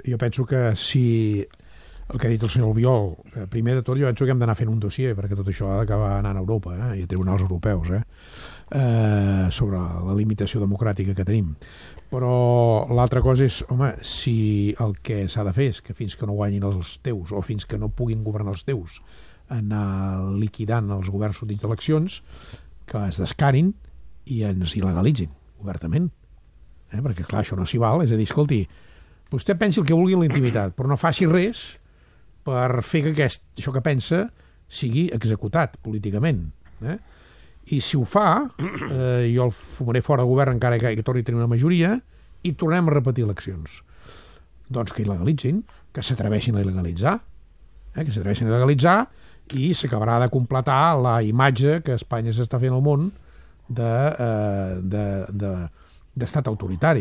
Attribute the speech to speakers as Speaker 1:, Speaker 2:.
Speaker 1: jo penso que si el que ha dit el senyor Albiol, primer de tot jo penso que hem d'anar fent un dossier, perquè tot això ha d'acabar anant a Europa i a tribunals europeus sobre la limitació democràtica que tenim. Però l'altra cosa és, home, si el que s'ha de fer és que fins que no guanyin els teus o fins que no puguin governar els teus anar liquidant els governs sortits d'eleccions, que es descarin i ens il·legalitzin obertament. Perquè clar, això no s'hi val, és a dir, escolti, vostè pensi el que vulgui en la intimitat, però no faci res per fer que això que pensa sigui executat políticament. I si ho fa, jo el fumaré fora de govern encara que torni a tenir una majoria i tornem a repetir eleccions. Doncs que il·legalitzin, que s'atreveixin a il·legalitzar, i s'acabarà de completar la imatge que Espanya s'està fent al món d'estat autoritari.